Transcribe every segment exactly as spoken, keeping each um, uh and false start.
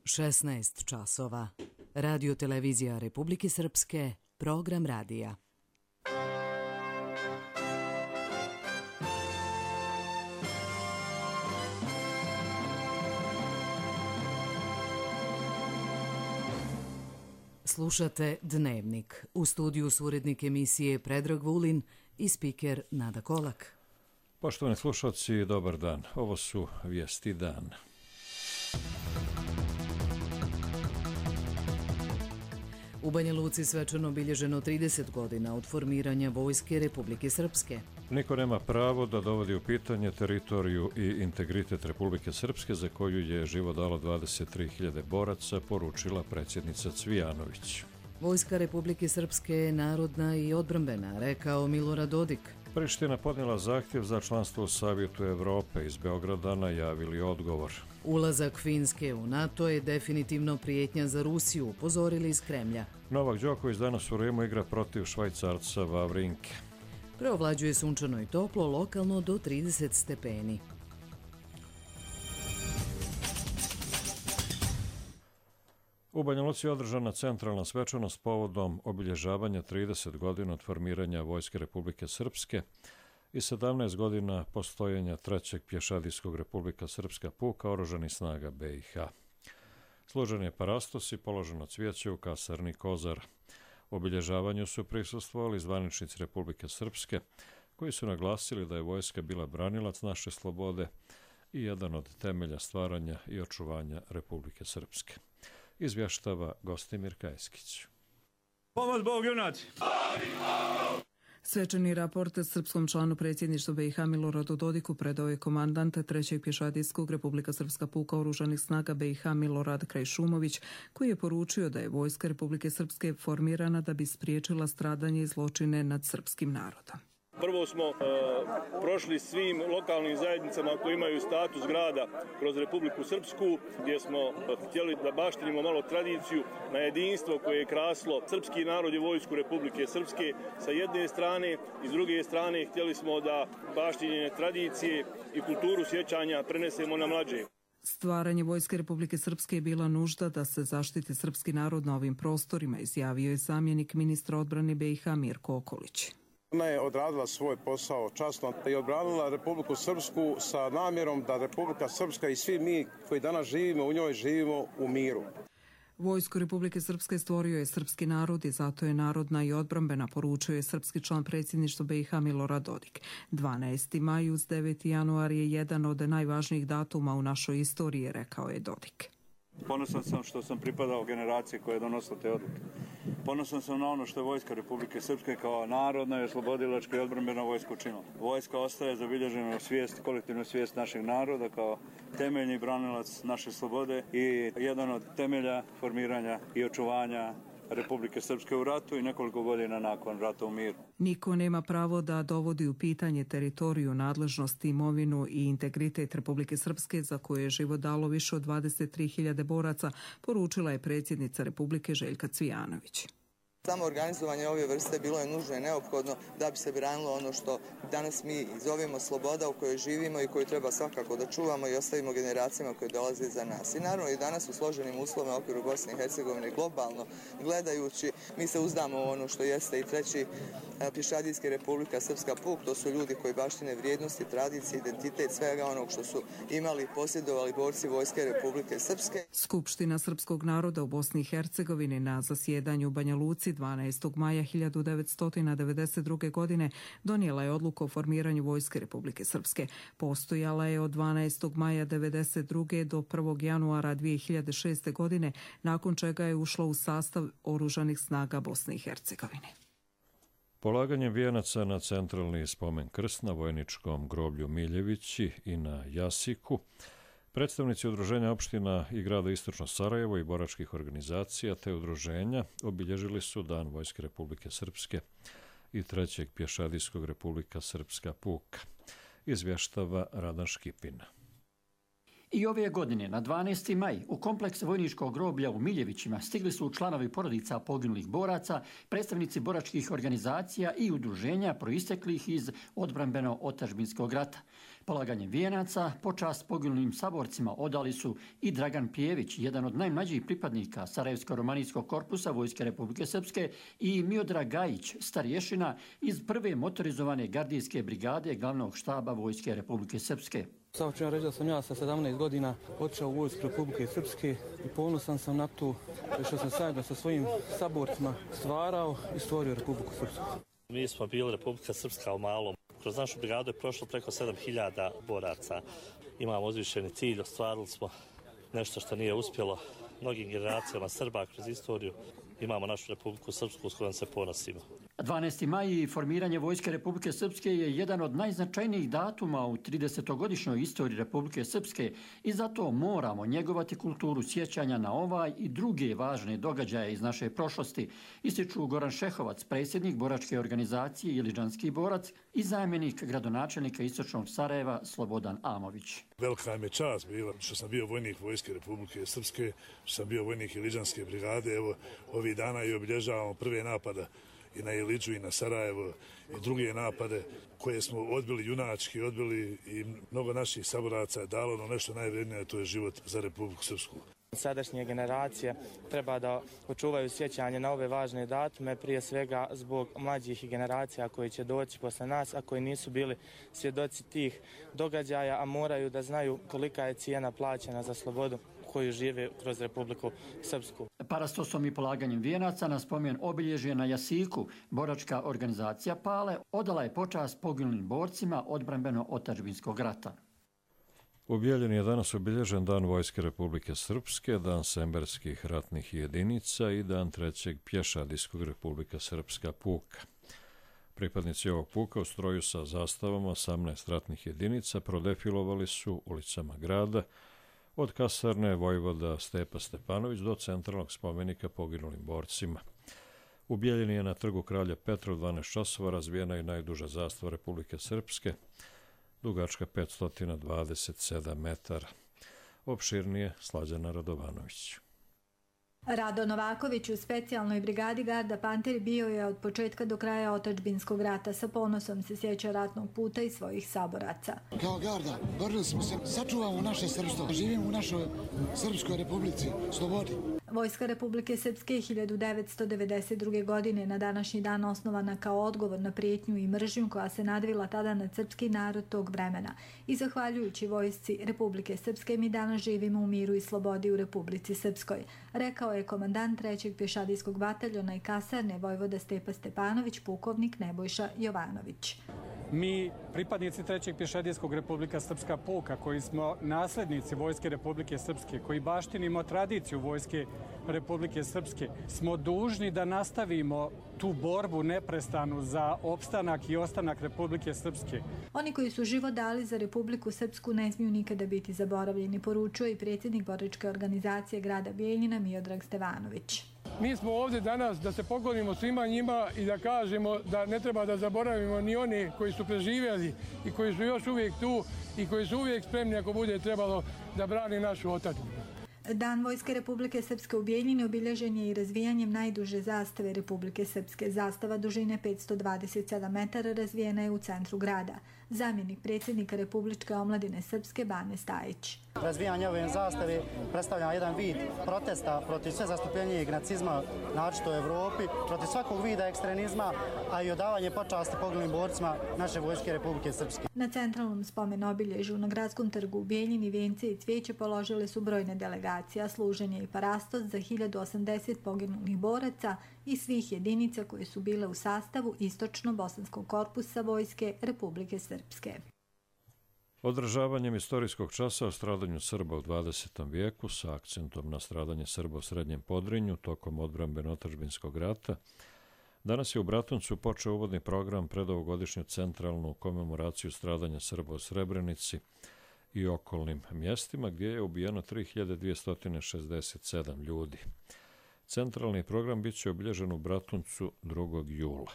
šesnaest časova. Radio televizija Republike Srpske, program radija. Slušate Dnevnik. U studiju su urednik emisije Predrag Vulin i spiker Nada Kolak. Poštovani slušalci, dobar dan. Ovo su vijesti dana. U Banja Luci svečano obilježeno trideset godina od formiranja Vojske Republike Srpske. Niko nema pravo da dovodi u pitanje teritoriju i integritet Republike Srpske, za koju je život dalo dvadeset tri hiljade boraca, poručila predsjednica Cvijanović. Vojska Republike Srpske je narodna i odbrambena, rekao Milorad Dodik. Priština podnijela zahtjev za članstvo u Savjetu Evrope. Iz Beograda najavili odgovor. Ulazak Finske u NATO je definitivno prijetnja za Rusiju, upozorili iz Kremlja. Novak Đoković danas u Rimu igra protiv Švajcarca Wawrinke. Preovlađuje sunčano i toplo, lokalno do trideset stepeni. U Banja Luci je održana centralna svečanost povodom obilježavanja trideset godina od formiranja Vojske Republike Srpske i sedamnaest godina postojenja trećeg pješadijskog Republika Srpska puka oružanih snaga B i H. Služen je parastos i položeno cvijeće u kasarni Kozar. U obilježavanju su prisustvovali zvaničnici Republike Srpske, koji su naglasili da je vojska bila branilac naše slobode i jedan od temelja stvaranja i očuvanja Republike Srpske. Izvještava Gostimir Kajskić. Pomoć Bog, junaci! Svečani raport srpskom članu predsjedništva B i H Miloradu Dodiku predao je komandant trećeg pješadijskog Republika Srpska puka oružanih snaga B i H Milorad Krajšumović, koji je poručio da je Vojska Republike Srpske formirana da bi spriječila stradanje i zločine nad srpskim narodom. Prvo smo e, prošli svim lokalnim zajednicama koji imaju status grada kroz Republiku Srpsku, gdje smo htjeli da baštinimo malo tradiciju na jedinstvo koje je kraslo srpski narod i vojsku Republike Srpske sa jedne strane, i s druge strane htjeli smo da baštinjenje tradicije i kulturu sjećanja prenesemo na mlađe. Stvaranje Vojske Republike Srpske je bila nužda da se zaštiti srpski narod na ovim prostorima, izjavio je zamjenik ministra odbrane B i H Mirko Okolić. Ona je odradila svoj posao časno i odbranila Republiku Srpsku sa namjerom da Republika Srpska i svi mi koji danas živimo u njoj živimo u miru. Vojsku Republike Srpske stvorio je srpski narod i zato je narodna i odbrambena, poručio je srpski član predsjedništva B i H Milorad Dodik. dvanaesti maj uz deveti januar je jedan od najvažnijih datuma u našoj istoriji, rekao je Dodik. Ponosan sam što sam pripadao generaciji koja je donosila te odluke. Ponosan sam na ono što je Vojska Republike Srpske kao narodna i oslobodilačka i odbrambena vojska učinila. Vojska ostaje zabilježena svijest, kolektivna svijest našeg naroda kao temeljni branilac naše slobode i jedan od temelja formiranja i očuvanja Republike Srpske u ratu i nekoliko godina nakon rata u miru. Niko nema pravo da dovodi u pitanje teritoriju, nadležnost, imovinu i integritet Republike Srpske, za koje je život dalo više od dvadeset tri hiljade boraca, poručila je predsjednica Republike Željka Cvijanović. Samo organizovanje ove vrste bilo je nužno i neophodno da bi se branilo ono što danas mi zovemo sloboda u kojoj živimo i koju treba svakako da čuvamo i ostavimo generacijama koje dolaze iza nas. I naravno i danas u složenim uslovima u okviru Bosne i Hercegovine globalno gledajući, mi se uzdamo u ono što jeste i treći pješadijski Republika Srpska puk. To su ljudi koji baštine vrijednosti, tradicije, identitet, svega onog što su imali i posjedovali borci Vojske Republike Srpske. Skupština srpskog naroda u Bosni i Hercegovini na zasjedanju u Banja Luci dvanaestog maja hiljadu devetsto devedeset druge. godine donijela je odluku o formiranju Vojske Republike Srpske. Postojala je od dvanaestog maja devedeset druge. do prvog januara dvije hiljade šeste. godine, nakon čega je ušla u sastav oružanih snaga Bosne i Hercegovine. Polaganjem vijenaca na centralni spomen krst na vojničkom groblju Miljevići i na Jasiku, predstavnici udruženja opština i grada Istočno Sarajevo i boračkih organizacija te udruženja obilježili su Dan Vojske Republike Srpske i trećeg pješadijskog Republika Srpska puka. Izvještava Radan Škipina. I ove godine, na dvanaesti maj, u kompleks vojničkog groblja u Miljevićima stigli su članovi porodica poginulih boraca, predstavnici boračkih organizacija i udruženja proisteklih iz odbrambeno-otadžbinskog rata. Polaganjem vijenaca počast poginulim saborcima odali su i Dragan Pjević, jedan od najmlađih pripadnika Sarajevsko-romanijskog korpusa Vojske Republike Srpske, i Miodrag Gajić, starješina iz prve motorizovane gardijske brigade glavnog štaba Vojske Republike Srpske. Samo ću ja reći da sam ja sa sedamnaest godina otišao u Vojsku Republike Srpske i ponosan sam na to što sam zajedno sa svojim saborcima stvarao i stvorio Republiku Srpsku. Mi smo bili Republika Srpska u malom. Kroz našu brigadu je prošlo preko sedam hiljada boraca. Imamo uzvišeni cilj, ostvarili smo nešto što nije uspjelo mnogim generacijama Srba kroz istoriju. Imamo našu Republiku Srpsku s kojom se ponosimo. dvanaesti maj i formiranje Vojske Republike Srpske je jedan od najznačajnijih datuma u tridesetogodišnjoj istoriji Republike Srpske i zato moramo njegovati kulturu sjećanja na ovaj i druge važne događaje iz naše prošlosti, ističu Goran Šehovac, predsjednik boračke organizacije Iliđanski borac i zamjenik gradonačelnika Istočnog Sarajeva Slobodan Amović. Velika nam je čast bila što sam bio vojnik Vojske Republike Srpske, što sam bio vojnik Iliđanske brigade. Evo, ovih dana i obilježavamo prve napada i na Iliđu i na Sarajevo i druge napade koje smo odbili junački, odbili i mnogo naših saboraca je dalo ono nešto najvrednije, to je život za Republiku Srpsku. Sadašnje generacije treba da očuvaju sjećanje na ove važne datume, prije svega zbog mlađih generacija koji će doći posle nas, a koji nisu bili svjedoci tih događaja, a moraju da znaju kolika je cijena plaćena za slobodu koju žive kroz Republiku Srpsku. Parastosom i polaganjem vijenaca na spomen obilježje na Jasiku, boračka organizacija Pale odala je počast poginulim borcima odbrambeno-otadžbinskog rata. U Bijeljini je danas obilježen Dan Vojske Republike Srpske, Dan semberskih ratnih jedinica i Dan trećeg pješadijskog Republika Srpska puka. Pripadnici ovog puka u stroju sa zastavama osamnaest ratnih jedinica prodefilovali su ulicama grada od kasarne Vojvoda Stepa Stepanović do centralnog spomenika poginulim borcima. U Bijeljini je na trgu Kralja Petra u dvanaest časova razvijena i najduža zastava Republike Srpske, dugačka petsto dvadeset sedam metara. Opširnije Slađana Radovanović. Rado Novaković u specijalnoj brigadi Garda Panter bio je od početka do kraja otadžbinskog rata. Sa ponosom se sjeća ratnog puta i svojih saboraca. Kao Garda borili smo se, sačuvamo naše srpstvo, živimo u našoj Srpskoj republici, slobodi. Vojska Republike Srpske hiljadu devetsto devedeset druge. godine na današnji dan osnovana kao odgovor na prijetnju i mržnju koja se nadvila tada na srpski narod tog vremena. I zahvaljujući Vojsci Republike Srpske mi danas živimo u miru i slobodi u Republici Srpskoj, rekao je komandant trećeg pješadijskog bataljona i kasarne Vojvoda Stepa Stepanović, pukovnik Nebojša Jovanović. Mi, pripadnici trećeg pješadijskog Republika Srpska puka, koji smo naslednici Vojske Republike Srpske, koji baštinimo tradiciju Vojske Republike Srpske, smo dužni da nastavimo tu borbu neprestanu za opstanak i ostanak Republike Srpske. Oni koji su život dali za Republiku Srpsku ne smiju nikada biti zaboravljeni, poručuje i predsjednik boračke organizacije grada Bijeljina Miodrag Stevanović. Mi smo ovdje danas da se poklonimo svima njima i da kažemo da ne treba da zaboravimo ni one koji su preživjeli i koji su još uvijek tu i koji su uvijek spremni ako bude trebalo da brani našu otadžbinu. Dan Vojske Republike Srpske u Bijeljini obilježen je i razvijanjem najduže zastave Republike Srpske. Zastava dužine petsto dvadeset sedam metara razvijena je u centru grada. Zamjenik predsjednika Republičke omladine Srpske Bane Stajić. Razvijanje ove zastave predstavlja jedan vid protesta protiv sve zastupljenijeg nacizma, naročito u Evropi, protiv svakog vida ekstremizma, a i odavanje počasti poginulim borcima naše Vojske Republike Srpske. Na centralnom spomen obilježju na gradskom trgu u Bijeljini vijence i cvijeće položile su brojne delegacije, a služen je i parastos za hiljadu osamdeset poginulih boraca i svih jedinica koje su bile u sastavu Istočno-bosanskog korpusa Vojske Republike Srpske. Održavanjem istorijskog časa o stradanju Srba u dvadesetom vijeku sa akcentom na stradanje Srba u Srednjem Podrinju tokom odbrambeno-otadžbinskog rata, danas je u Bratuncu počeo uvodni program pred ovogodišnju centralnu komemoraciju stradanja Srba u Srebrenici i okolnim mjestima gdje je ubijeno tri hiljade dvjesto šezdeset sedam ljudi. Centralni program bit će obilježen u Bratuncu drugog jula.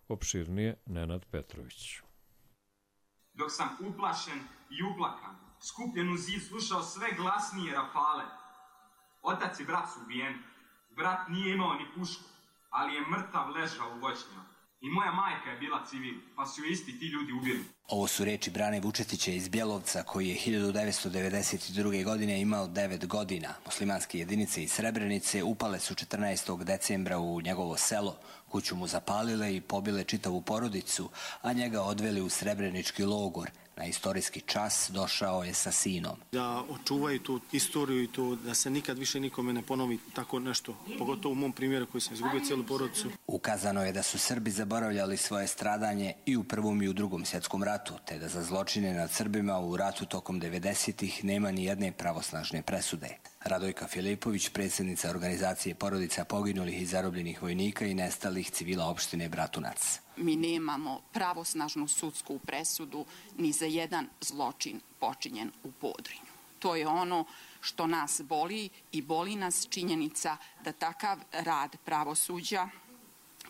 Opširnije Nenad Petrović. Dok sam uplašen i uplakan, skupljen u zid, slušao sve glasnije rafale. Otac i brat su ubijeni. Brat nije imao ni pušku, ali je mrtav ležao u voćnjama. I moja majka je bila civil, pa su ju isti ti ljudi ubili. Ovo su reči Brane Vučetića iz Bjelovca, koji je hiljadu devetsto devedeset druge. godine imao devet godina. Muslimanske jedinice iz Srebrenice upale su četrnaestog decembra u njegovo selo, kuću mu zapalile i pobile čitavu porodicu, a njega odveli u srebrenički logor. Na istorijski čas došao je sa sinom. Da očuvaju tu istoriju i to da se nikad više nikome ne ponovi tako nešto, pogotovo u mom primjeru koji sam izgubio cijelu porodicu. Ukazano je da su Srbi zaboravljali svoje stradanje i u Prvom i u Drugom svjetskom ratu, te da za zločine nad Srbima u ratu tokom devedesetih nema ni jedne pravosnažne presude. Radojka Filipović, predsjednica organizacije porodica poginulih i zarobljenih vojnika i nestalih civila opštine Bratunac. Mi nemamo pravosnažnu sudsku presudu ni za jedan zločin počinjen u Podrinju. To je ono što nas boli i boli nas činjenica da takav rad pravosuđa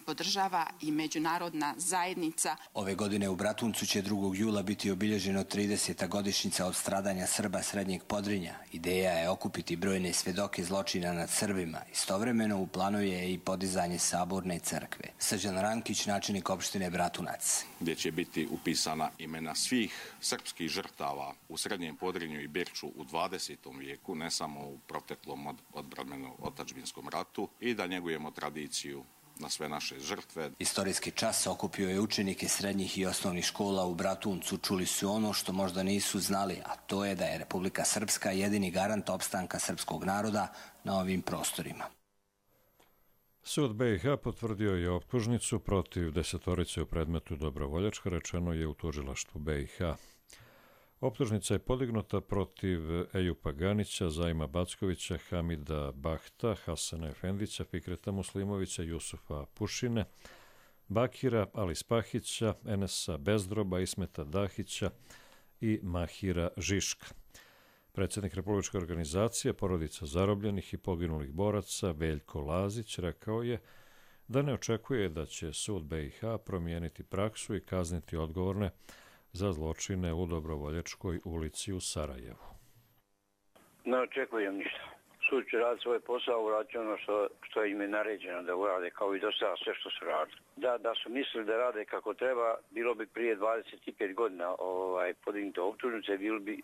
podržava i međunarodna zajednica. Ove godine u Bratuncu će drugog jula biti obilježeno trideseta godišnjica od stradanja Srba Srednjeg Podrinja. Ideja je okupiti brojne svedoke zločina nad Srbima. Istovremeno u planu je i podizanje saborne crkve. Srđan Rankić, načelnik opštine Bratunac. Gdje će biti upisana imena svih srpskih žrtava u Srednjem Podrinju i Birču u dvadesetom vijeku, ne samo u proteklom odbrambeno-otadžbinskom ratu, i da njegujemo tradiciju na sve naše žrtve. Istorijski čas okupio je učenike srednjih i osnovnih škola u Bratuncu. Čuli su ono što možda nisu znali, a to je da je Republika Srpska jedini garant opstanka srpskog naroda na ovim prostorima. Sud B i H potvrdio je optužnicu protiv desetorice u predmetu Dobrovoljačka, rečeno je u tužilaštvu B i H. Optužnica je podignuta protiv Ejupa Ganića, Zajma Backovića, Hamida Bahta, Hasana Efendića, Fikreta Muslimovića, Jusufa Pušine, Bakira Alispahića, Enesa Bezdroba, Ismeta Dahića i Mahira Žiška. Predsjednik Republičke organizacije porodica zarobljenih i poginulih boraca Veljko Lazić rekao je da ne očekuje da će sud B i H promijeniti praksu i kazniti odgovorne za zločine u Dobrovoljačkoj ulici u Sarajevu. Ne očekujem ništa. Sud će raditi svoj posao, uraditi ono što, što im je naređeno da urade, kao i do sada sve što su radili. Da, da su mislili da rade kako treba, bilo bi prije dvadeset pet godina ovaj, podignuto optužnice, bili bi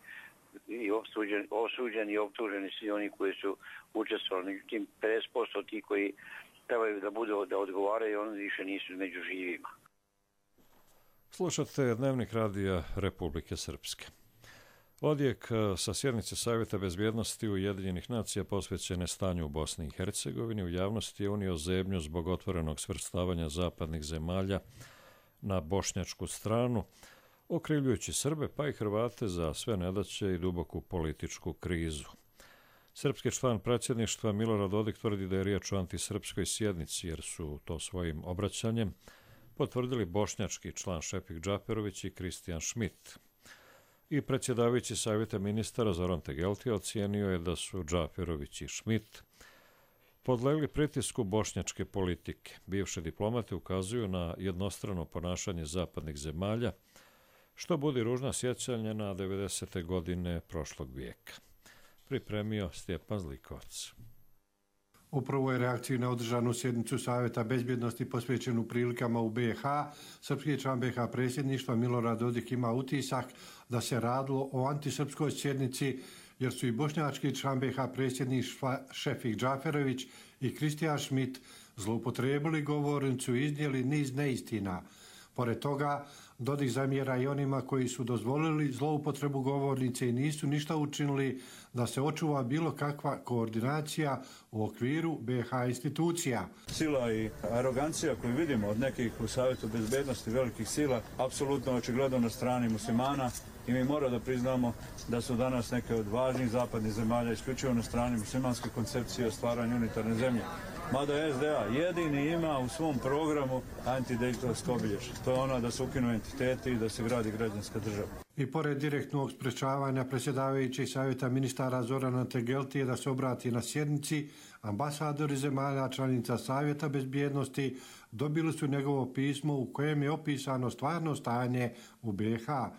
i osuđeni, osuđeni i optuženi svi oni koji su učestvovali. Međutim, pedeset posto ti koji trebaju da budu da odgovaraju, oni više nisu među živima. Slušate Dnevnik radija Republike Srpske. Odjek sa sjednice Savjeta bezbjednosti Ujedinjenih nacija posvećene stanju u Bosni i Hercegovini u javnosti je unio zebnju zbog otvorenog svrstavanja zapadnih zemalja na bošnjačku stranu, okrivljujući Srbe pa i Hrvate za sve nedaće i duboku političku krizu. Srpski član predsjedništva Milorad Dodik tvrdi da je riječ o antisrpskoj sjednici, jer su to svojim obraćanjem potvrdili bošnjački član Šefik Džaperović i Kristijan Šmit. I predsjedavajući Savjeta ministara Zoran Tegeltija ocijenio je da su Džaperović i Šmit podlegli pritisku bošnjačke politike. Bivše diplomate ukazuju na jednostrano ponašanje zapadnih zemalja, što budi ružna sjećanja na devedesete godine prošlog vijeka. Pripremio Stjepan Zlikovac. U prvoj reakciji na održanu sjednicu Savjeta bezbjednosti posvećenu prilikama u B i H, srpski član B i H predsjedništva Milorad Dodik ima utisak da se radilo o antisrpskoj sjednici, jer su i bošnjački član B i H predsjedništva Šefik Džaferović i Kristijan Šmit zloupotrijebili govornicu i iznijeli niz neistina. Pored toga, Dodik zamjera i onima koji su dozvolili zloupotrebu govornice i nisu ništa učinili da se očuva bilo kakva koordinacija u okviru B i H institucija. Sila i arogancija koju vidimo od nekih u Savjetu bezbednosti velikih sila, apsolutno očigledno na strani muslimana, i mi moramo da priznamo da su danas neke od važnih zapadnih zemalja isključivo na strani muslimanske koncepcije o stvaranju unitarne zemlje. Mada S D A jedini ima u svom programu antidiktatorsko obilježje. To je ono da se ukinu entiteti i da se gradi građanska država. I pored direktnog sprečavanja predsjedavajućeg Savjeta ministara Zorana Tegeltije da se obrati na sjednici, ambasadori zemalja članica Savjeta bezbjednosti dobili su njegovo pismo u kojem je opisano stvarno stanje u B i H.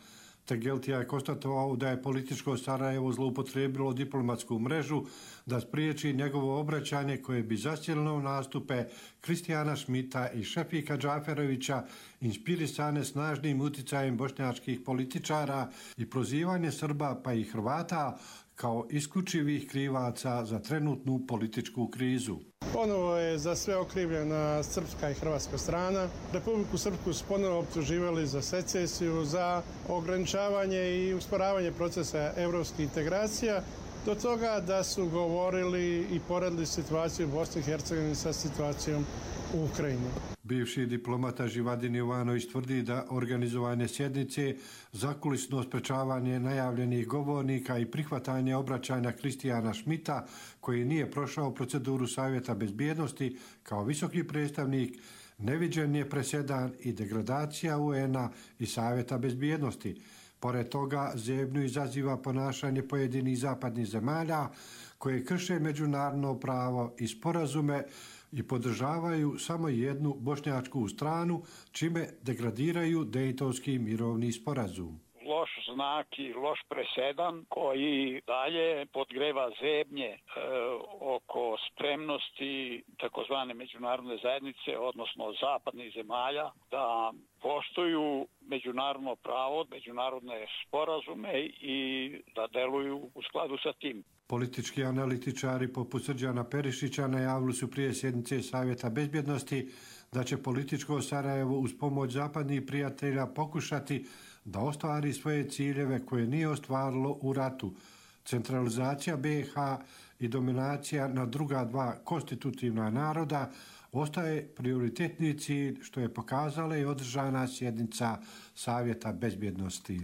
Stegeltija je konstatovao da je političko Sarajevo zloupotrijebilo diplomatsku mrežu da spriječi njegovo obraćanje koje bi zasjelilo nastupe Kristijana Šmita i Šefika Džaferovića, inspirisane snažnim uticajem bošnjačkih političara i prozivanje Srba pa i Hrvata kao isključivih krivaca za trenutnu političku krizu. Ponovo je za sve okrivljena srpska i hrvatska strana. Republiku Srpsku su ponovo optuživali za secesiju, za ograničavanje i usporavanje procesa evropskih integracija, do toga da su govorili i poredili situaciju u Bosni i Hercegovini sa situacijom u Ukrajini. Bivši diplomata Živadin Jovanović tvrdi da organizovanje sjednice, zakulisno sprečavanje najavljenih govornika i prihvatanje obraćanja Kristijana Šmita, koji nije prošao proceduru Savjeta bezbjednosti kao visoki predstavnik, neviđen je presedan i degradacija U N-a i Savjeta bezbjednosti. Pored toga, zebnju izaziva ponašanje pojedinih zapadnih zemalja koje krše međunarodno pravo i sporazume i podržavaju samo jednu bošnjačku stranu, čime degradiraju Dejtonski mirovni sporazum. Loš znak i loš presedan koji dalje podgreva zebnje e, oko spremnosti takozvane međunarodne zajednice, odnosno zapadnih zemalja, da poštuju međunarodno pravo, međunarodne sporazume i da deluju u skladu sa tim. Politički analitičari poput Srđana Perišića najavili su prije sjednice Savjeta bezbjednosti da će političko Sarajevo uz pomoć zapadnih prijatelja pokušati da ostvari svoje ciljeve koje nije ostvarilo u ratu. Centralizacija B i H i dominacija na druga dva konstitutivna naroda ostaje prioritetni cilj, što je pokazala i održana sjednica Savjeta bezbjednosti.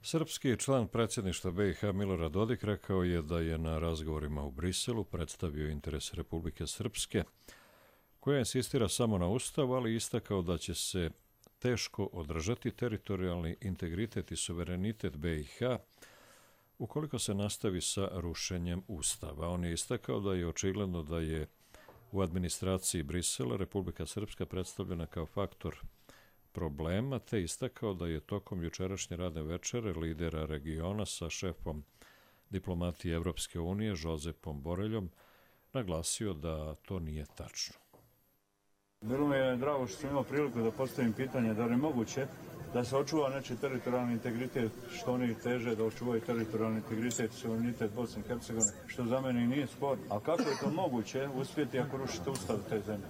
Srpski član predsjedništva B i H Milorad Dodik rekao je da je na razgovorima u Briselu predstavio interes Republike Srpske, koja insistira samo na ustavu, ali istakao da će se teško održati teritorijalni integritet i suverenitet B i H ukoliko se nastavi sa rušenjem ustava. On je istakao da je očigledno da je u administraciji Brisela Republika Srpska predstavljena kao faktor problema, te istakao da je tokom jučerašnje radne večere lidera regiona sa šefom diplomatije Evropske unije Žozepom Boreljom naglasio da to nije tačno. Bilo mi je drago što sam imao priliku da postavim pitanje da li je moguće da se očuva nečiji teritorijalni integritet, što oni teže da očuvaju teritorijalni integritet i suverenitet Bosne i Hercegovine, što za mene i nije spor. A kako je to moguće uspjeti ako rušite ustav te zemlje?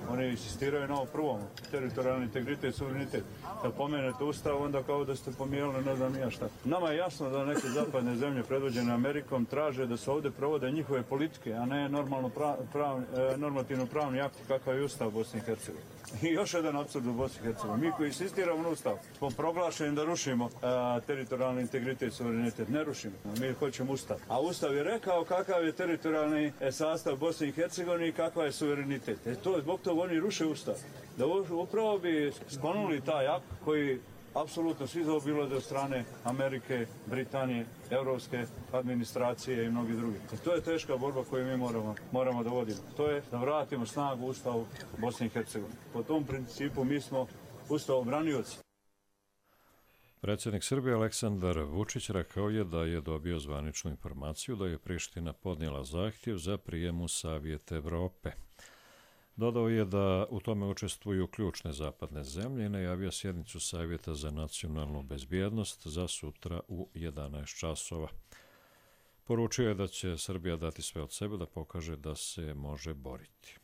Oni insistiraju na ovo prvom, teritorijalni integritet i suverenitet. Kad pomenete ustav, onda kao da ste pomijenili ne znam ja šta. Nama je jasno da neke zapadne zemlje predvođene Amerikom traže da se ovdje provode njihove politike, a ne normalno prav, prav, normativno pravni akt kakav je ustav Bosne i Hercegovine. I još jedan apsurd u Bosni i Hercegovini. Mi koji insistiramo na ustav, smo proglašeni da rušimo a, teritorijalni integritet i suverenitet. Ne rušimo, mi hoćemo ustav. A ustav je rekao kakav je teritorijalni sastav Bosne i Hercegovine i kakav je suverenitet. E to je zbog toga oni ruše ustav. Da upravo bi sklonuli taj akt koji apsolutno svi zaobilaze od strane Amerike, Britanije, evropske administracije i mnogi drugi. I to je teška borba koju mi moramo, moramo da vodimo. To je da vratimo snagu ustavu Bosne i Hercegovine. Po tom principu mi smo ustavobranioci. Predsjednik Srbije Aleksandar Vučić rekao je da je dobio zvaničnu informaciju da je Priština podnijela zahtjev za prijem u Savjet Evrope. Dodao je da u tome učestvuju ključne zapadne zemlje i najavio sjednicu Savjeta za nacionalnu bezbjednost za sutra u jedanaest časova. Poručio je da će Srbija dati sve od sebe da pokaže da se može boriti.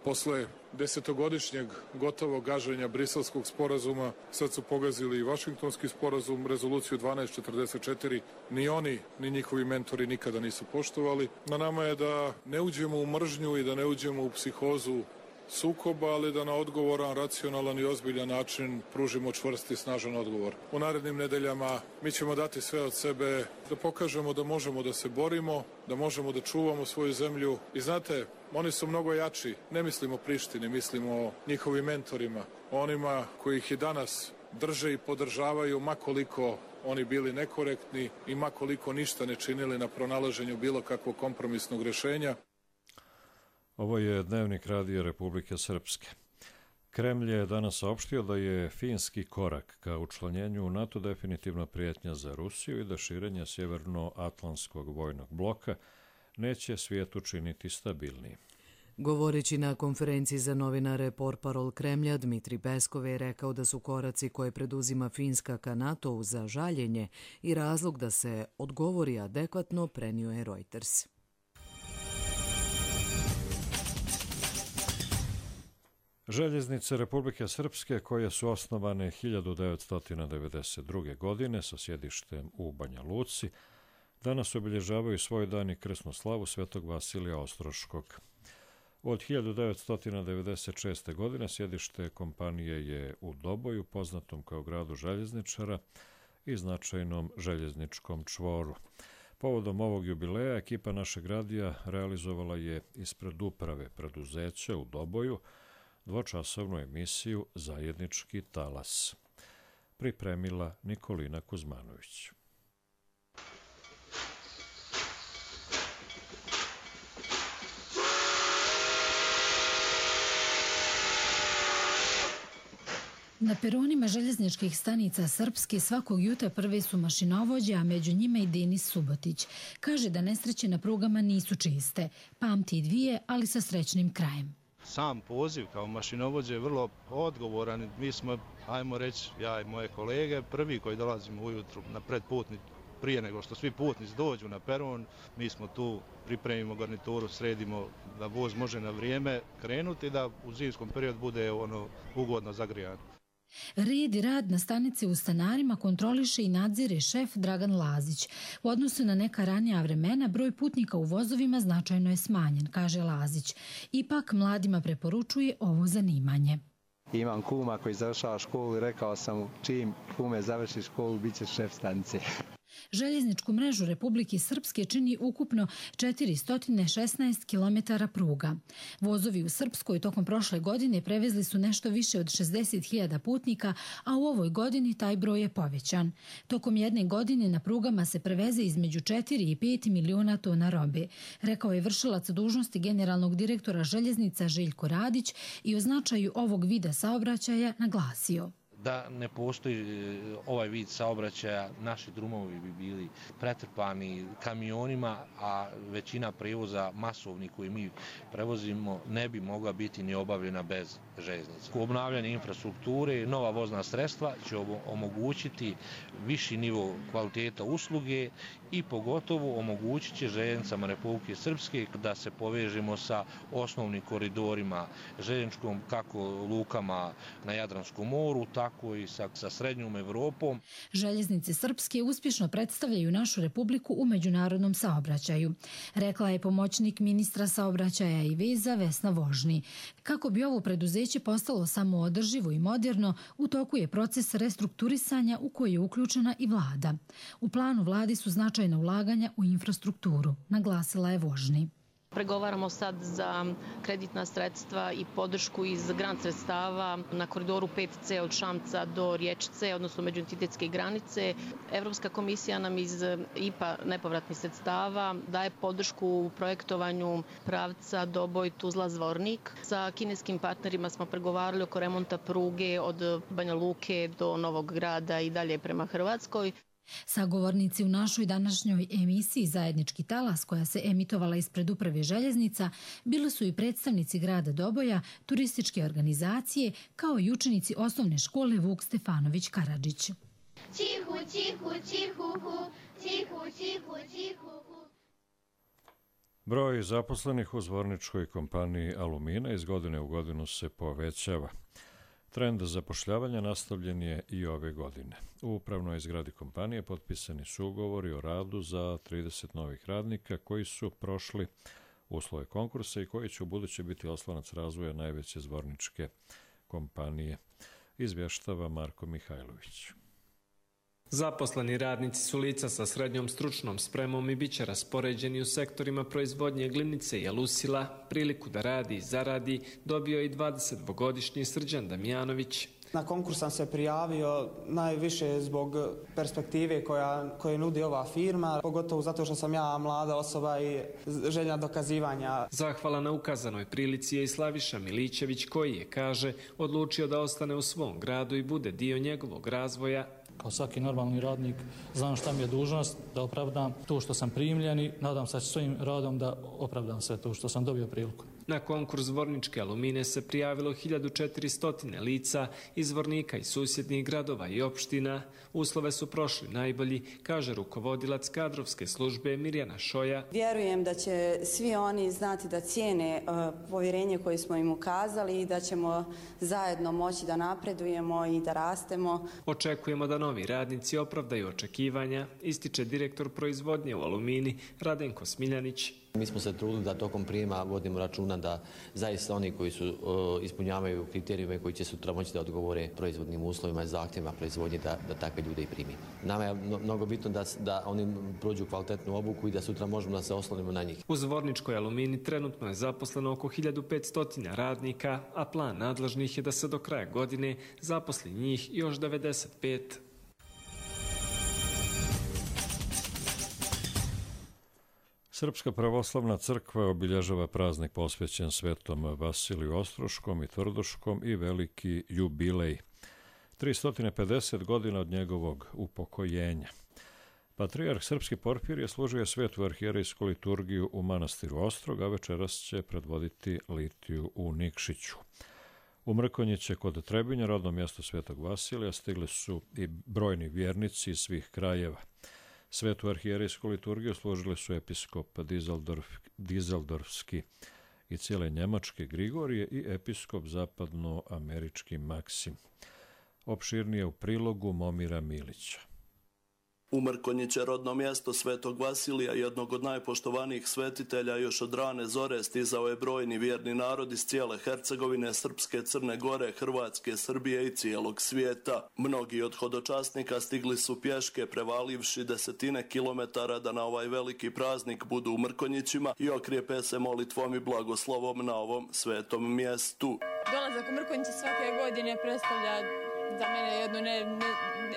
Posle desetogodišnjeg gotovog gaženja Briselskog sporazuma, sad su pogazili i Vašingtonski sporazum, rezoluciju dvanaest četrdeset četiri, ni oni, ni njihovi mentori nikada nisu poštovali. Na nama je da ne uđemo u mržnju i da ne uđemo u psihozu sukoba, ali da na odgovoran, racionalan i ozbiljan način pružimo čvrst i snažan odgovor. U narednim nedeljama mi ćemo dati sve od sebe da pokažemo da možemo da se borimo, da možemo da čuvamo svoju zemlju. I znate, oni su mnogo jači. Ne mislimo o Prištini, mislimo o njihovim mentorima, onima koji ih i danas drže i podržavaju, makoliko oni bili nekorektni i makoliko ništa ne činili na pronalaženju bilo kakvog kompromisnog rješenja. Ovo je Dnevnik Radija Republike Srpske. Kremlj je danas saopštio da je finski korak ka učlanjenju u NATO definitivno prijetnja za Rusiju i da širenje sjevernoatlantskog vojnog bloka neće svijet učiniti stabilniji. Govoreći na konferenciji za novinare portparol Kremlja, Dmitri Peskov je rekao da su koraci koje preduzima Finska ka NATO-u za žaljenje i razlog da se odgovori adekvatno, prenio je Reuters. Željeznice Republike Srpske, koje su osnovane hiljadu devetsto devedeset druge. godine sa sjedištem u Banja Luci, danas obilježavaju svoj dan i krsnu slavu Svetog Vasilija Ostroškog. Od hiljadu devetsto devedeset šeste. godine sjedište kompanije je u Doboju, poznatom kao gradu željezničara i značajnom željezničkom čvoru. Povodom ovog jubileja ekipa našeg radija realizovala je ispred uprave preduzeća u Doboju dvočasovnu emisiju Zajednički talas. Pripremila Nikolina Kuzmanović. Na peronima željezničkih stanica Srpske svakog jutra prve su mašinovođe, a među njima i Denis Subotić. Kaže da nesreće na prugama nisu čiste. Pamti i dvije, ali sa srećnim krajem. Sam poziv kao mašinovođe je vrlo odgovoran. Mi smo, ajmo reći, ja i moje kolege, prvi koji dolazimo ujutru na predputni, prije nego što svi putnici dođu na peron, mi smo tu, pripremimo garnituru, sredimo da voz može na vrijeme krenuti, da u zimskom periodu bude ono ugodno zagrijano. Red i rad na stanici u Stanarima kontroliše i nadzire šef Dragan Lazić. U odnosu na neka ranija vremena, broj putnika u vozovima značajno je smanjen, kaže Lazić. Ipak mladima preporučuje ovo zanimanje. Imam kuma koji završava školu i rekao sam čim kume završi školu, bit će šef stanice. Željezničku mrežu Republike Srpske čini ukupno četiristo šesnaest kilometara pruga. Vozovi u Srpskoj tokom prošle godine prevezli su nešto više od šezdeset hiljada putnika, a u ovoj godini taj broj je povećan. Tokom jedne godine na prugama se preveze između četiri i pet miliona tona robe, rekao je vršilac dužnosti generalnog direktora željeznica Željko Radić i o značaju ovog vida saobraćaja naglasio. Da ne postoji ovaj vid saobraćaja, naši drumovi bi bili pretrpani kamionima, a većina prevoza masovni koji mi prevozimo ne bi mogla biti ni obavljena bez željeznice. Obnavljanje infrastrukture, nova vozna sredstva će omogućiti viši nivo kvaliteta usluge i pogotovo omogućit će željeznicama Republike Srpske da se povežemo sa osnovnim koridorima željezničkom, kako lukama na Jadranskom moru, tako i sa, sa Srednjom Evropom. Željeznice Srpske uspješno predstavljaju našu Republiku u međunarodnom saobraćaju, rekla je pomoćnik ministra saobraćaja i veza Vesna Vožni. Kako bi ovo preduzeće postalo samoodrživo i moderno, u toku je proces restrukturisanja u koji je uključena i vlada. U planu vladi su značajna ulaganja u infrastrukturu, naglasila je Vožni. Pregovaramo sad za kreditna sredstva i podršku iz grant sredstava na koridoru pet ce od Šamca do Riječce, odnosno međuentitetske granice. Evropska komisija nam iz I P A nepovratnih sredstava daje podršku u projektovanju pravca Doboj-Tuzla-Zvornik. Sa kineskim partnerima smo pregovarali oko remonta pruge od Banja Luke do Novog Grada i dalje prema Hrvatskoj. Sagovornici u našoj današnjoj emisiji Zajednički talas, koja se emitovala ispred uprave željeznica, bili su i predstavnici grada Doboja, turističke organizacije, kao i učenici osnovne škole Vuk Stefanović Karadžić. Čihu, čihu, čihuhu, čihu, čihu, čihuhu. Broj zaposlenih u zvorničkoj kompaniji Alumina iz godine u godinu se povećava. Trend zapošljavanja nastavljen je i ove godine. U upravnoj zgradi kompanije potpisani su ugovori o radu za trideset novih radnika koji su prošli uslove konkursa i koji će u buduće biti oslonac razvoja najveće zvorničke kompanije, izvještava Marko Mihajlović. Zaposleni radnici su lica sa srednjom stručnom spremom i bit će raspoređeni u sektorima proizvodnje glimnice i alusila. Priliku da radi i zaradi dobio i dvadesetdvogodišnji Srđan Damjanović. Na konkurs sam se prijavio najviše zbog perspektive koja, koje nudi ova firma, pogotovo zato što sam ja mlada osoba i želja dokazivanja. Zahvala na ukazanoj prilici je i Slaviša Milićević koji je, kaže, odlučio da ostane u svom gradu i bude dio njegovog razvoja. Kao svaki normalni radnik znam šta mi je dužnost, da opravdam to što sam primljen i nadam se svojim radom da opravdam sve to što sam dobio priliku. Na konkurs Zvorničke alumine se prijavilo hiljadu četiristo lica iz Zvornika i susjednih gradova i opština. Uslove su prošli najbolji, kaže rukovodilac kadrovske službe Mirjana Šoja. Vjerujem da će svi oni znati da cijene uh, povjerenje koje smo im ukazali i da ćemo zajedno moći da napredujemo i da rastemo. Očekujemo da novi radnici opravdaju očekivanja, ističe direktor proizvodnje u Alumini Radenko Smiljanić. Mi smo se trudili da tokom prijema vodimo računa da zaista oni koji su uh, ispunjavaju kriterijume koji će sutra moći da odgovore proizvodnim uslovima i zahtjevima proizvodnje da, da takve ljude i primi. Nama je mnogo bitno da, da oni prođu kvalitetnu obuku i da sutra možemo da se oslonimo na njih. U Zvorničkoj Alumini trenutno je zaposleno oko hiljadu petsto radnika, a plan nadležnih je da se do kraja godine zaposli njih još devedeset pet. Srpska pravoslavna crkva obilježava praznik posvećen svetom Vasiliju Ostroškom i Tvrdoškom i veliki jubilej. tristo pedeset godina od njegovog upokojenja. Patrijarh Srpski Porfirije služio svetu arhijerejsku liturgiju u manastiru Ostrog, a večeras će predvoditi litiju u Nikšiću. U Mrkonjiće kod Trebinja, rodno mjesto svetog Vasilija, stigli su i brojni vjernici iz svih krajeva. Svetu arhijerejsku liturgiju služili su episkop Dizeldorf, Dizeldorfski i cijele Njemačke Grigorije i episkop zapadnoamerički Maksim. Opširnije u prilogu Momira Milića. U Mrkonjiće, rodno mjesto svetog Vasilija, jednog od najpoštovanijih svetitelja, još od rane zore stizao je brojni vjerni narod iz cijele Hercegovine, Srpske, Crne Gore, Hrvatske, Srbije i cijelog svijeta. Mnogi od hodočasnika stigli su pješke, prevalivši desetine kilometara da na ovaj veliki praznik budu u Mrkonjićima i okrijepe se molitvom i blagoslovom na ovom svetom mjestu. Dolazak u Mrkonjiće svake godine predstavlja za mene jedno ne, ne,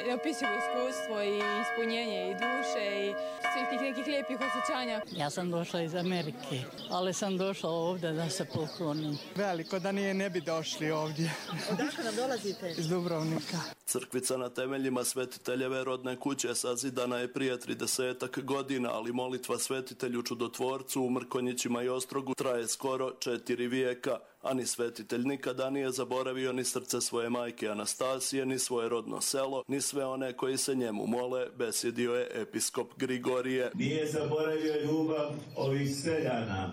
neopisivo iskustvo i ispunjenje i duše i svih tih nekih lijepih osjećanja. Ja sam došla iz Amerike, ali sam došla ovdje da se poklonim. Veliko da nije ne bi došli ovdje. Odakle nam dolazite? Iz Dubrovnika. Crkvica na temeljima svetiteljeve rodne kuće sazidana je prije tridesetak godina, ali molitva svetitelju čudotvorcu u Mrkonjićima i Ostrogu traje skoro četiri vijeka. A ni svetitelj nikada nije zaboravio ni srce svoje majke Anastasije, ni svoje rodno selo, ni sve one koji se njemu mole, besjedio je episkop Grigorije. Nije zaboravio ljubav ovih seljana,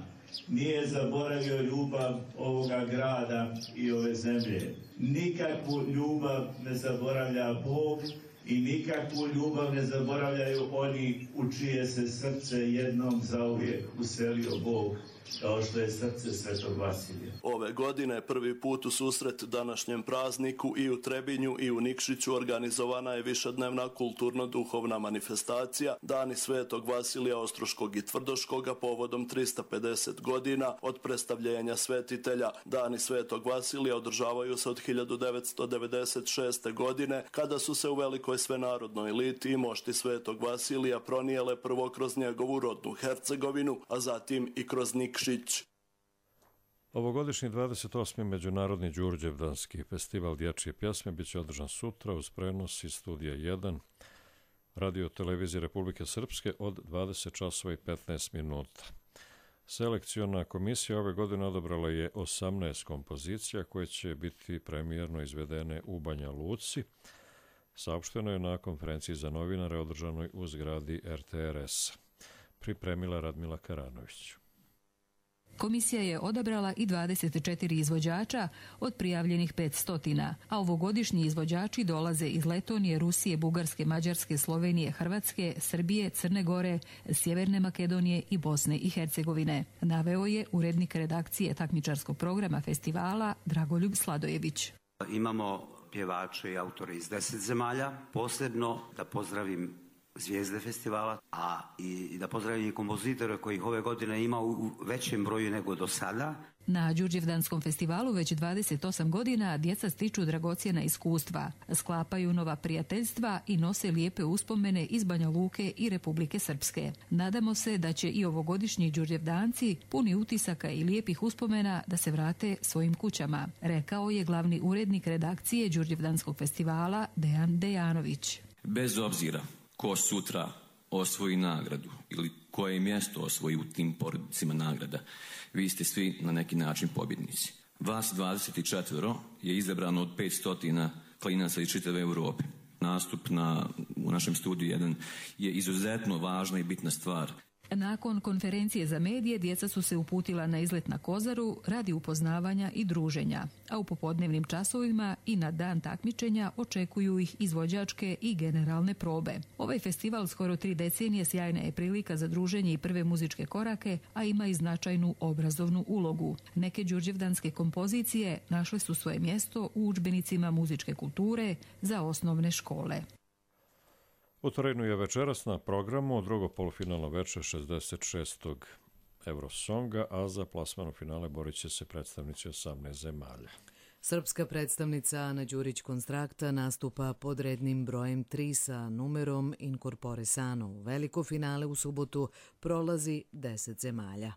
nije zaboravio ljubav ovoga grada i ove zemlje. Nikakvu ljubav ne zaboravlja Bog i nikakvu ljubav ne zaboravljaju oni u čije se srce jednom zauvijek uselio Bog, kao što je srce svetog Vasilija. Ove godine prvi put u susret današnjem prazniku i u Trebinju i u Nikšiću organizovana je višednevna kulturno-duhovna manifestacija Dani svetog Vasilija Ostroškog i Tvrdoškoga povodom tristo pedeset godina od predstavljenja svetitelja. Dani svetog Vasilija održavaju se od hiljadu devetsto devedeset šeste. godine, kada su se u velikoj svenarodnoj litiji mošti svetog Vasilija pronijele prvo kroz njegovu rodnu Hercegovinu, a zatim i kroz Nikšić. Ovogodišnji dvadeset osmi Međunarodni Đurđevdanski festival dječje pjesme biće održan sutra uz prenos iz studija jedan Radio televizije Republike Srpske od dvadeset časova i petnaest minuta. Selekciona komisija ove godine odabrala je osamnaest kompozicija koje će biti premijerno izvedene u Banja Luci. Saopšteno je na konferenciji za novinare održanoj u zgradi R T R S. Pripremila Radmila Karanović. Komisija je odabrala i dvadeset četiri izvođača od prijavljenih petsto, a ovogodišnji izvođači dolaze iz Letonije, Rusije, Bugarske, Mađarske, Slovenije, Hrvatske, Srbije, Crne Gore, Sjeverne Makedonije i Bosne i Hercegovine. Naveo je urednik redakcije takmičarskog programa festivala Dragoljub Sladojević. Imamo pjevače i autore iz deset zemalja. Posebno da pozdravim zvijezde festivala, a i da pozdravim i kompozitore kojih ove godine ima u većem broju nego do sada. Na Đurđevdanskom festivalu već dvadeset osam godina djeca stiču dragocjena iskustva, sklapaju nova prijateljstva i nose lijepe uspomene iz Banja Luke i Republike Srpske. Nadamo se da će i ovogodišnji Đurđevdanci puni utisaka i lijepih uspomena da se vrate svojim kućama, rekao je glavni urednik redakcije Đurđevdanskog festivala Dejan Dejanović. Bez obzira ko sutra osvoji nagradu ili koje mjesto osvoji u tim porodicima nagrada, vi ste svi na neki način pobjednici. Vas dvadeset četiri je izabrano od petsto klinaca iz čitave Europe. Nastup na, u našem studiju jedan je izuzetno važna i bitna stvar. Nakon konferencije za medije djeca su se uputila na izlet na Kozaru radi upoznavanja i druženja, a u popodnevnim časovima i na dan takmičenja očekuju ih izvođačke i generalne probe. Ovaj festival skoro tri decenije sjajna je prilika za druženje i prve muzičke korake, a ima i značajnu obrazovnu ulogu. Neke đurđevdanske kompozicije našle su svoje mjesto u udžbenicima muzičke kulture za osnovne škole. U Torinu je večeras na programu drugo polufinalno veče šezdeset šestog Eurosonga, a za plasman u finale borit će se predstavnici osamnaest zemalja. Srpska predstavnica Ana Đurić Konstrakta nastupa pod rednim brojem tri sa numerom Incorpore Sano. U veliko finale u subotu prolazi deset zemalja.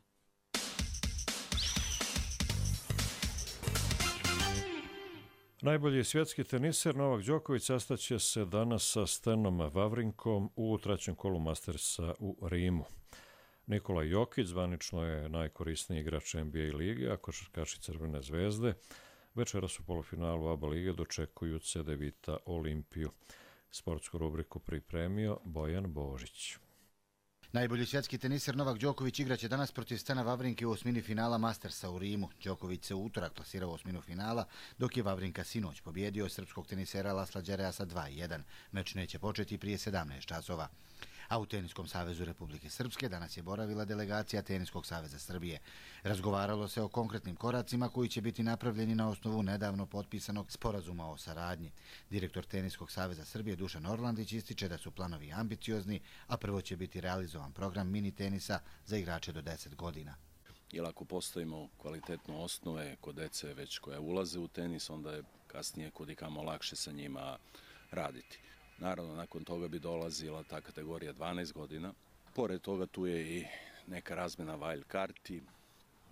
Najbolji svjetski teniser Novak Đoković sastaće se danas sa Stenom Wawrinkom u trećem kolu Mastersa u Rimu. Nikola Jokić zvanično je najkorisniji igrač N B A lige, a košarkaši Crvene zvezde večeras u polufinalu A B A lige dočekuju C D Vita Olimpiju. Sportsku rubriku pripremio Bojan Božić. Najbolji svjetski teniser Novak Đoković igraće danas protiv Stena Wawrinke u osmini finala Mastersa u Rimu. Đoković se u utorak plasirao u osminu finala, dok je Wawrinka sinoć pobjedio srpskog tenisera Lasla Đereja sa dva jedan. Meč neće početi prije sedamnaest časova. A u Teniskom savezu Republike Srpske danas je boravila delegacija Teniskog saveza Srbije. Razgovaralo se o konkretnim koracima koji će biti napravljeni na osnovu nedavno potpisanog sporazuma o saradnji. Direktor Teniskog saveza Srbije Dušan Orlandić ističe da su planovi ambiciozni, a prvo će biti realizovan program mini tenisa za igrače do deset godina. Jer ako postavimo kvalitetne osnove kod dece već koja ulaze u tenis, onda je kasnije kudikamo lakše sa njima raditi. Naravno, nakon toga bi dolazila ta kategorija dvanaest godina. Pored toga tu je i neka razmjena wild karti,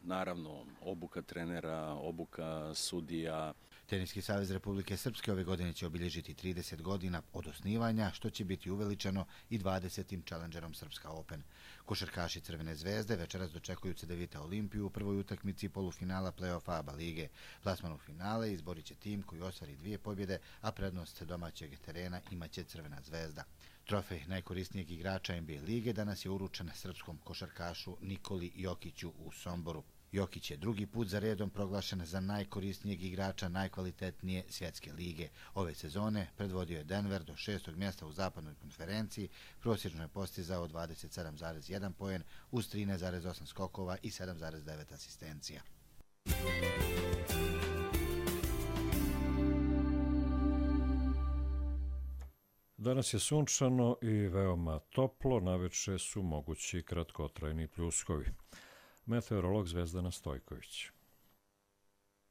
naravno obuka trenera, obuka sudija. Teniski savez Republike Srpske ove godine će obilježiti trideset godina od osnivanja, što će biti uveličano i dvadesetim Challengerom Srpska Open. Košarkaši Crvene zvezde večeras dočekuju C D Vita Olimpiju u prvoj utakmici polufinala play-offa A B A lige. Plasman u finale izborit će tim koji ostvari dvije pobjede, a prednost domaćeg terena imaće Crvena zvezda. Trofej najkorisnijeg igrača N B A lige danas je uručen srpskom košarkašu Nikoli Jokiću u Somboru. Jokić je drugi put za redom proglašen za najkorisnijeg igrača najkvalitetnije svjetske lige. Ove sezone predvodio je Denver do šestog mjesta u zapadnoj konferenciji, prosječno je postizao dvadeset sedam zarez jedan poen uz trinaest zarez osam skokova i sedam zarez devet asistencija. Danas je sunčano i veoma toplo, naveče su mogući kratkotrajni pljuskovi. Meteorolog Zvezdana Stojković.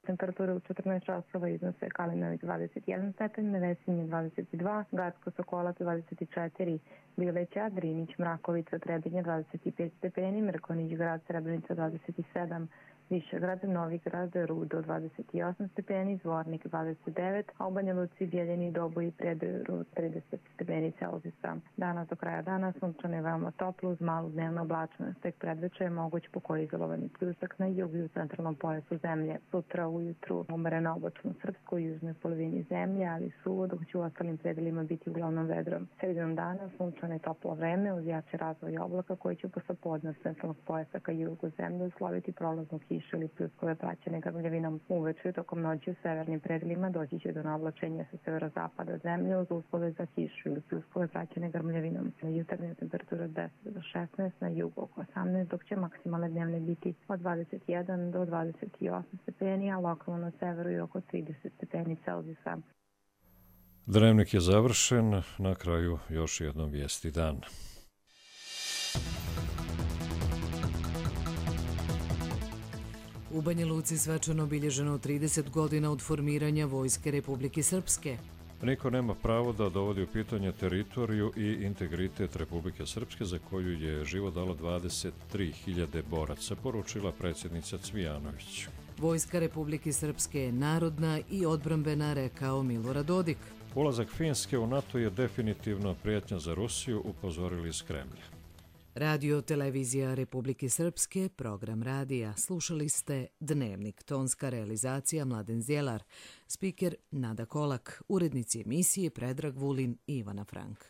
Temperatura u četrnaest časova iznose Kalinović dvadeset jedan stepen, Nevesinje dvadeset dva, Gacko Sokolac dvadeset četiri, Bileća, Drinić, Mrakovica, Trebinje dvadeset pet stepeni, Mrkonić grad, Srebrenica dvadeset sedam, Višegrad, Novigrad, Rudo dvadeset osam stepeni, Zvornik dvadeset devet, a u Banja Luci, Bijeljini, Doboji i Prijedoru trideset stepeni Celzijusa. Danas do kraja dana sunčano je veoma toplo uz malu dnevnu oblačnost. Tek predveče je moguć pokoj izolovani pljusak na jugu i u centralnom pojasu zemlje. Sutra ujutru umereno oblačno srpsko u južnoj polovini zemlje, ali suvo, dok će u ostalim predelima biti uglavnom vedro. Sredinom dana sunčano je toplo vreme uz jači razvoj oblaka koji će posle podne centralnog pojasa ka jugu zemlje usloviti prolaznu kišu ili pljuskove praćene grmljavinom. Uveče tokom noći u severnim predelima doći će do navlačenja sa severozapada zemlje uz uslove za kišu ili pljuskove praćene grmljavinom. Na jutarnja temperatura od deset do šesnaest, na jugu oko osamnaest, dok će maksimalne dnevne biti od dvadeset jedan do dvadeset osam stepeni, a lokalno na severu i oko trideset stepeni Celzijusa. Dnevnik je završen, na kraju još jednom vijesti dan. U Banja Luci svečano obilježeno trideset godina od formiranja Vojske Republike Srpske. Niko nema pravo da dovodi u pitanje teritoriju i integritet Republike Srpske, za koju je život dalo dvadeset tri hiljade boraca, poručila predsjednica Cvijanović. Vojska Republike Srpske je narodna i odbrambena, rekao Milorad Dodik. Ulazak Finske u NATO je definitivno prijetnja za Rusiju, upozorili iz Kremlja. Radio Televizija Republike Srpske, program radija. Slušali ste Dnevnik, tonska realizacija Mladen Zjelar, spiker Nada Kolak, urednici emisije Predrag Vulin i Ivana Frank.